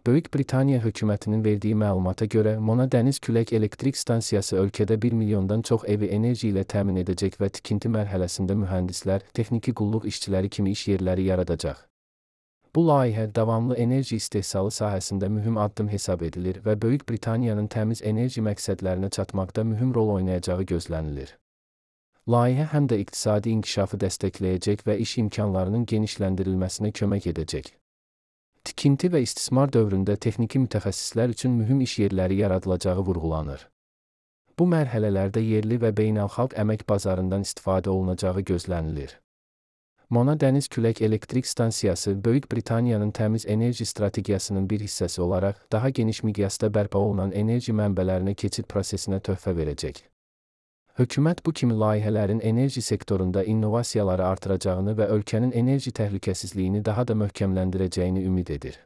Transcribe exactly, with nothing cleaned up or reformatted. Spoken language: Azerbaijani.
Böyük Britaniya hökumətinin verdiyi məlumata görə, Mona Dəniz Külək Elektrik Stansiyası ölkədə bir milyondan çox evi enerji ilə təmin edəcək və tikinti mərhələsində mühəndislər, texniki qulluq işçiləri kimi iş yerləri yaradacaq. Bu layihə davamlı enerji istehsalı sahəsində mühüm addım hesab edilir və Böyük Britaniyanın təmiz enerji məqsədlərinə çatmaqda mühüm rol oynayacağı gözlənilir. Layihə həm də iqtisadi inkişafı dəstəkləyəcək və iş imkanlarının genişləndirilməsinə kömək edəcək. Tikinti və istismar dövründə texniki mütəxəssislər üçün mühüm iş yerləri yaradılacağı vurğulanır. Bu mərhələlərdə yerli və beynəlxalq əmək bazarından istifadə olunacağı gözlənilir. Mona Dəniz Külək Elektrik Stansiyası Böyük Britaniyanın təmiz enerji strategiyasının bir hissəsi olaraq daha geniş miqyasda bərpa olunan enerji mənbələrinə keçid prosesinə töhfə verəcək. Hökumət bu kimi layihələrin enerji sektorunda innovasiyaları artıracağını və ölkənin enerji təhlükəsizliyini daha da möhkəmləndirəcəyini ümid edir.